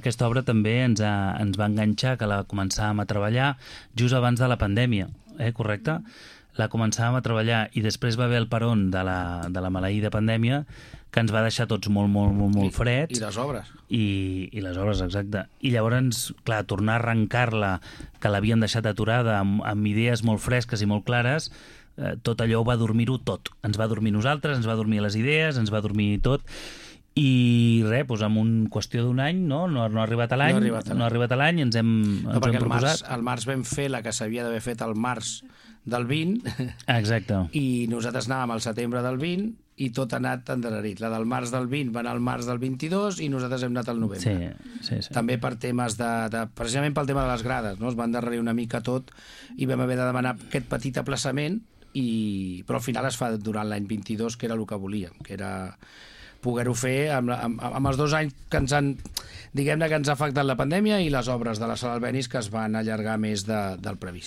aquesta obra també ens va enganxar, que la començàvem a treballar just abans de la pandèmia, correcte? La començàvem a treballar i després va haver el peron de la maleïda pandèmia, que ens va deixar tots molt freds. I les obres. I les obres, exacte. I llavors, clar, tornar a arrencar-la, que l'havíem deixat aturada amb idees molt fresques i molt clares, tot allò va dormir-ho tot. Ens va dormir nosaltres, ens va dormir les idees, ens va dormir tot. I res, doncs en qüestió d'un any, no ha arribat a l'any, ens hem proposat. Al març vam fer la que s'havia d'haver fet al març del 20. Exacte. I nosaltres anàvem al setembre del 20 i tot ha anat endarrerit. La del març del 20 va anar al març del 22 i nosaltres hem anat al novembre. Sí. També per temes precisament pel tema de les grades, no? Es va endarrerir una mica tot i vam haver de demanar aquest petit aplaçament, però al final es fa durant l'any 22, que era el que volíem, que era poder-ho fer amb els 2 anys que ens han, diguem-ne, que ens ha afectat la pandèmia i les obres de la Sala Albéniz, que es van allargar més del previst.